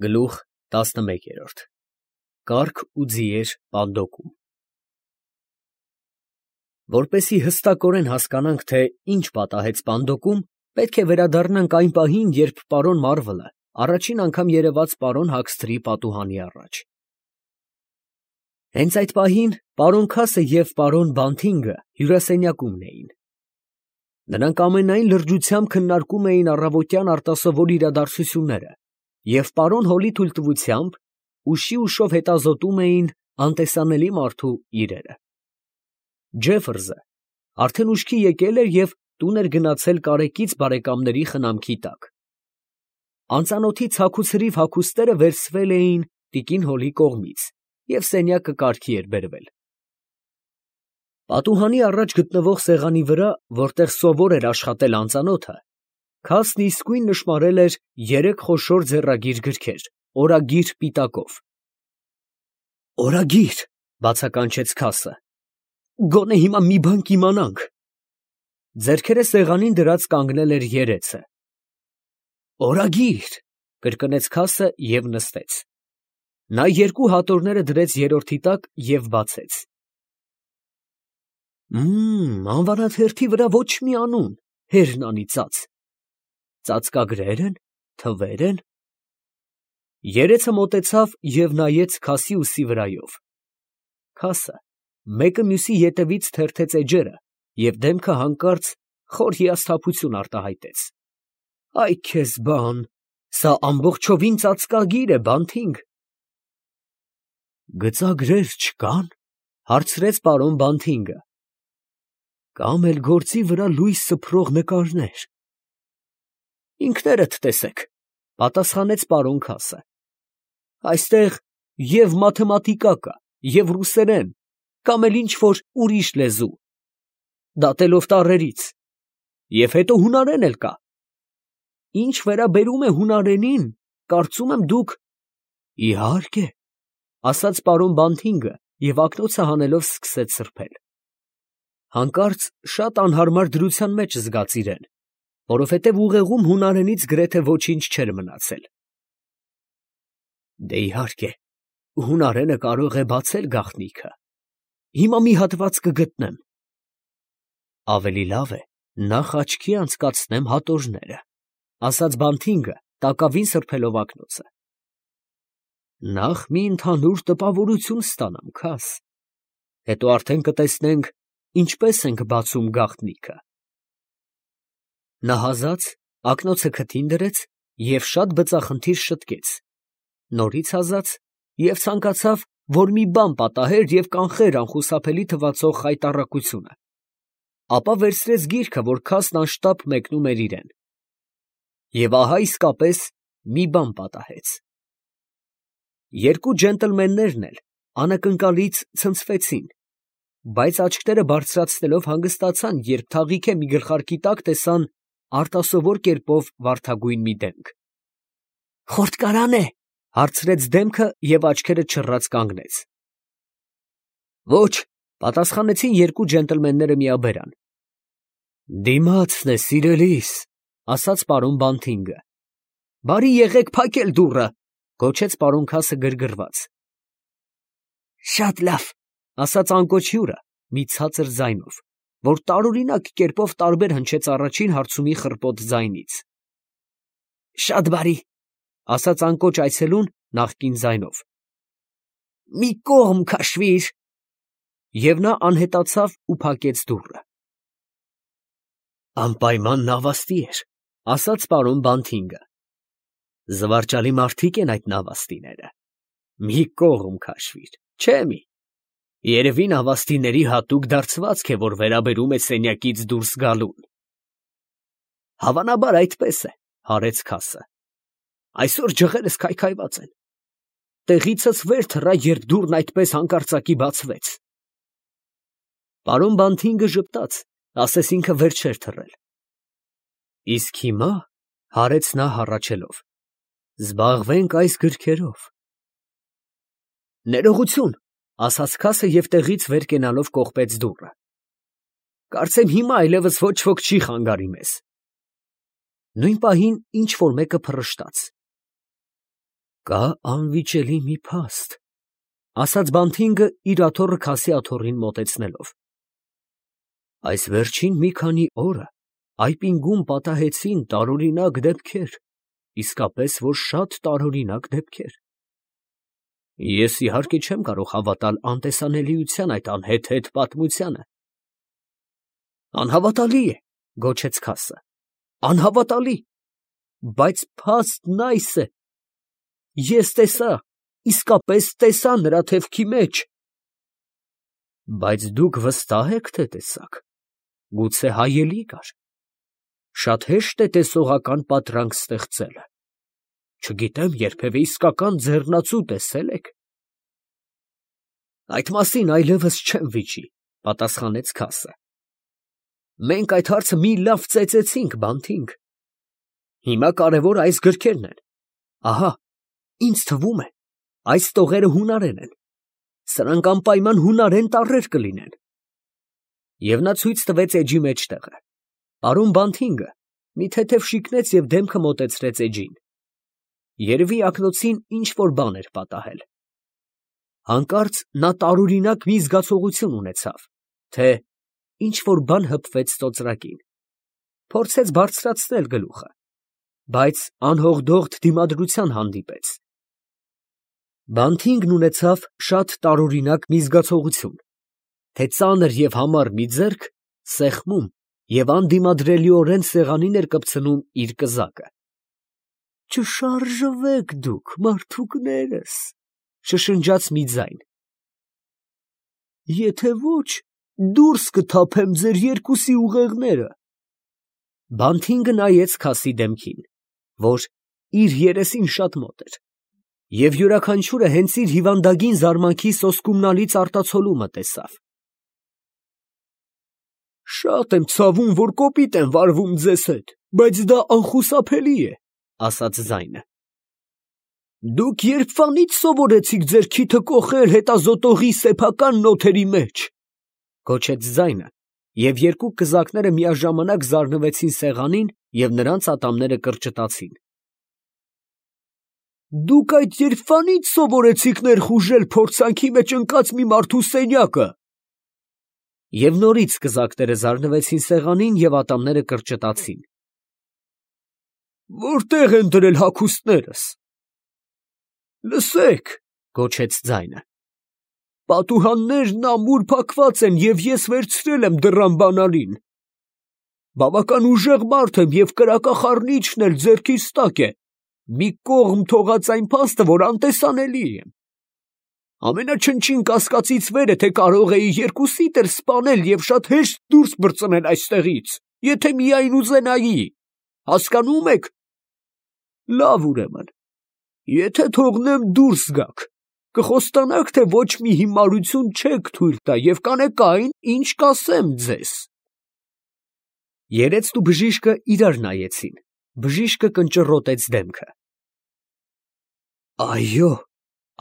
Գլուխ 11 Կարգ ու ձիեր պանդոկում Որպեսզի հստակորեն հասկանանք, թե ինչ պատահեց պանդոկում, պետք է վերադառնանք այն պահին, երբ պարոն Մարվելը առաջին անգամ երևաց պարոն Հաքսթրի պատուհանի առաջ։ Հենց այդ պահին պարոն Քասը և պարոն Բանթինգը հյուրասենյակումն էին։ Նրանք ամենայն լրջությամբ քննարկում էին առավոտյան արտասովոր իրադարձությունները և պարոն Հոլի թույլտվությամբ ուշիուշով հետազոտում էին անտեսանելի մարդու իրերը։ Ջեֆերսը արդեն ուշքի եկել էր և տուն էր գնացել կարեկից բարեկամների խնամքի տակ։ Անծանոթի ցաքուցրիվ հագուստները վերցվել էին տիկին Հոլի կողմից և սենյակը կարգի էր բերվել։ Պատուհանի առաջ գտնվող սեղանի վրա, որտեղ սովոր էր աշխատել անծանոթը, Քասն իսկույն նշմարել էր 3 խոշոր ձեռագիր գրքեր, օրագիր պիտակով։ «Օրագիր», բացականչեց Քասը, «գոնե հիմա մի բան կիմանանք»։ Ձեռքերը սեղանին դրած կանգնել էր երեցը։ «Օրագիր», կրկնեց Քասը և նստեց։ Նա 2 հատորները դրեց երրորդի տակ և բացեց։ Անվանաթերթի վրա ոչ մի անուն, հերն անիծած։ Ծածկագրե՞ր են, թվե՞ր են։ Երեցը մոտեցավ և նայեց Քասի ուսի վրայով։ Քասը մեկը մյուսի ետևից թերթեց էջերը և դեմքը հանկարծ խոր հիասթափություն արտահայտեց։ Այ քեզ բան, սա ամբողջովին ծածկագիր է, Բանթինգ։ Գծագրեր չկա՞ն, հարցրեց պարոն Բանթինգը։ Կամ էլ գործի վրա լույս սփռող նկարներ։ Ինքներդ տեսեք, պատասխանեց պարոն Քասը։ Այստեղ և մաթեմատիկա կա, և ռուսերեն, կամ էլ ինչ֊որ ուրիշ լեզու, դատելով տառերից, և հետո հունարեն էլ կա։ Ինչ վերաբերում է հունարենին, կարծում եմ դուք… Իհարկե, ասաց պարոն Բանթինգը և ակնոցը հանելով սկսեց սրբել։ Հանկարծ շատ անհարմար դրության մեջ զգաց իրեն, որովհետև ուղեղում հունարենից գրեթե ոչինչ չէր մնացել։ Դե իհարկե, հունարենը կարող է բացել գաղտնիքը։ Հիմա մի հատված կգտնեմ։ Ավելի լավ է նախ աչքի անցկացնեմ հատորները, ասաց Բանթինգը, տակավին սրբելով ակնոցը։ Նախ մի ընդհանուր տպավորություն ստանամ, Քաս, հետո արդեն կտեսնենք ինչպես ենք բացում գաղտնիքը։ Նա հազաց ակնոցը քթին դրեց և շատ բծախնդիր շտկեց, նորից հազաց և ցանկացավ, որ մի բան պատահեր և կանխեր անխուսափելի թվացող խայտառակությունը, ապա վերցրեց գիրքը, որ Քասն անշտապ մեկնում էր իրեն։ Եվ ահա իսկապես մի բան պատահեց։ 2 ջենտլմեններն էլ անակնկալից ցնցվեցին, բայց աչքերը բարձրացնելով հանգստացան, երբ թաղիթե մի գլխարկի տակ տեսան արտասովոր կերպով վարդագույն մի դեմք։ «Խորտկարա՞ն է», հարցրեց դեմքը և աչքերը չռած կանգնեց։ Ոչ, պատասխանեցին 2 ջենտլմենները միաբերան։ Դիմացն է, սիրելիս, ասաց պարոն Բանթինգը։ Բարի եղեք փակել դուռը, գոչեց պարոն Քասը գրգռված։ Շատ լավ, ասաց անկոչ հյուրը մի ցածր ձայնով, որ տարօրինակ կերպով տարբեր հնչեց առաջին հարցումի խռպոտ ձայնից։ Շատ բարի, ասաց անկոչ այցելուն նախկին ձայնով։ Մի կողմ քաշվիր։ Եվ նա անհետացավ ու փակեց դուռը։ Անպայման նավաստի էր, ասաց պարոն Բանթինգը։ Զվարճալի մարդիկ են այդ նավաստիները։ Մի կողմ քաշվիր, չէ՞ մի։ Երևի նավաստիների հատուկ դարձվածք է, որ վերաբերում է սենյակից դուրս գալուն։ Հավանաբար այդպես է, հարեց Քասը։ Այսօր ջղերս քայքայված են։ Տեղիցս վեր թռա, երբ դուռն այդպես հանկարծակի բացվեց։ Պարոն Բանթինգը ժպտաց, ասես ինքը վեր չէր թռել։ Իսկ հիմա, հարեց նա հառաչելով, զբաղվենք այս գրքերով։ Ներողություն, ասաց Քասը և տեղից վեր կենալով կողպեց դուռը։ Կարծեմ հիմա այլևս ոչ ոք չի խանգարի մեզ։ Նույն պահին ինչ֊որ մեկը փռշտաց։ Կա անվիճելի մի փաստ, ասաց Բանթինգը իր աթոռը քասի աթոռին մոտեցնելով. այս վերջին մի քանի օրը այպինգում պատահեցին տարօրինակ դեպքեր, իսկապես որ շատ տարօրինակ դեպքեր։ Ես իհարկե չեմ կարող հավատալ անտեսանելիության այդ անհեթեթ պատմությանը։ Անհավատալի է, գոչեց քասը, անհավատալի, բայց փաստն այս է. ես տեսա, իսկապես տեսա նրա թևքի մեջ։ Բայց դուք վստահ եք, թե տեսաք, գուցե հայելի կար։ Շատ հեշտ է տեսողական պատրանք ստեղծելը։ Չգիտեմ, երբևէ իսկական ձեռնացու տեսել եք։ Այդ մասին այլևս չեմ վիճի, պատասխանեց քասը։ Մենք այդ հարցը մի լավ ծեծեցինք, Բանթինգ։ Հիմա կարևոր այս գրքերն են։ Ահա, ինձ թվում է, այս տողերը հունարեն են։ Սրանք անպայման հունարեն տառեր կլինեն։ Եվ նա ցույց տվեց էջի մեջտեղը։ Պարոն Բանթինգը մի թեթև շիկնեց և դեմքը մոտեցրեց էջին։ Երևի ակնոցին ինչ որ բան էր պատահել։ Հանկարծ նա տարօրինակ մի զգացողություն ունեցավ, թե ինչ որ բան հպվեց ծոծրակին։ Փորձեց բարձրացնել գլուխը, բայց անհողդողդ դիմադրության հանդիպեց։ Բանթինգն ունեցավ շատ տարօրինակ մի զգացողություն, թե ծանր և համառ մի ձեռք սեղմում և անդիմադրելիորեն սեղանին էր կպցնում իր կզակը։ Չշարժվեք դուք, մարդուկներս, շշնջաց մի ձայն։ Եթե ոչ, դուրս կթափեմ ձեր երկուսի ուղեղները։ Բանթինգը նայեց քասի դեմքին, որ իր երեսին շատ մոտ էր, և յուրաքանչյուրը հենց իր հիվանդագին զարմանքի սոսկումնալից արտացոլումը տեսավ։ Շատ եմ ցավում, որ կոպիտ եմ վարվում ձեզ հետ, բայց դա անխուսափելի է, ասաց ձայնը։ Դուք երբվանից սովորեցիք ձեր քիթը կոխել հետազոտողի սեփական նոթերի մեջ, գոչեց ձայնը, և երկու կզակները միաժամանակ զարնվեցին սեղանին և նրանց ատամները կրճտացին։ Դուք այդ երբվանից սովորեցիք ներխուժել փորձանքի մեջ ընկած մի մարդու սենյակը։ Եվ նորից կզակները զարնվեցին սեղանին և ատամները կրճտացին։ Որտե՞ղ են դրել հագուստներս։ Լսեք, գոչեց ձայնը։ Պատուհաններն ամուր փակված են, և ես վերցրել եմ դռան բանալին։ Բավական ուժեղ մարդ եմ և կրակախառնիչն էլ ձեռքիս տակ է, մի կողմ թողած այն փաստը, որ անտեսանելի եմ։ Ամենաչնչին կասկածից վեր է, թե կարող էի երկուսիդ էլ սպանել և շատ հեշտ դուրս բրծնել այստեղից, եթե միայն ուզենայի, հասկանո՞ւմ եք։ Լավ, ուրեմն, եթե թողնեմ դուրս գաք, կխոստանաք, թե ոչ մի հիմարություն չեք թույլ տա և կանեք այն, ինչ կասեմ ձեզ։ Երեցն ու բժիշկը իրար նայեցին, բժիշկը կնճռոտեց դեմքը։ Այո,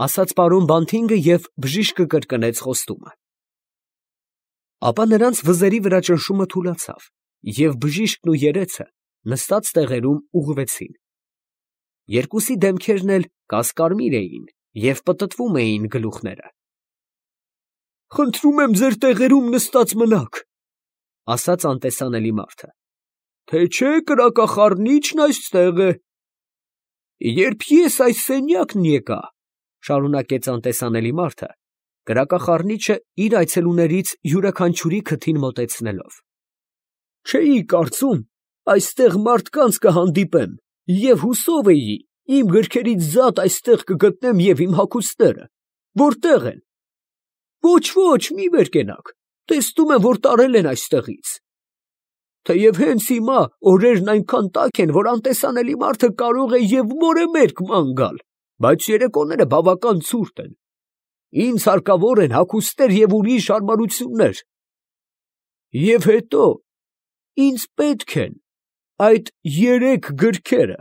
ասաց պարոն Բանթինգը և բժիշկը կրկնեց խոստումը։ Ապա նրանց վզերի վրա ճնշումը թուլացավ, և բժիշկն ու երեցը նստած տեղերում ուղղվեցին։ Երկուսի դեմքերն էլ կասկարմիր էին և պտտվում էին գլուխները։ Խնդրում եմ ձեր տեղերում նստած մնաք, ասաց անտեսանելի մարդը, թե չէ կրակախառնիչն այստեղ է։ Երբ ես այս սենյակն եկա, շարունակեց անտեսանելի մարդը, կրակախառնիչը իր այցելուներից յուրաքանչյուրի քթին մոտեցնելով, չէի կարծում այստեղ մարդկանց կհանդիպեմ և հուսով էի իմ գրքերից զատ այստեղ կգտնեմ և իմ հագուստները, որտե՞ղ են։ Ոչ, մի վեր կենաք, տեսնում եմ, որ տարել են այստեղից։ Թեև հենց հիմա օրերն այնքան տաք են, որ անտեսանելի մարդը կարող է և մորը մերկ ման գալ, բայց երեկոները բավական ցուրտ են։ Ինձ հարկավոր են հագուստներ և ուրիշ հարմարություններ։ Եվ հետո, ինձ պետք են այդ 3 գրքերը։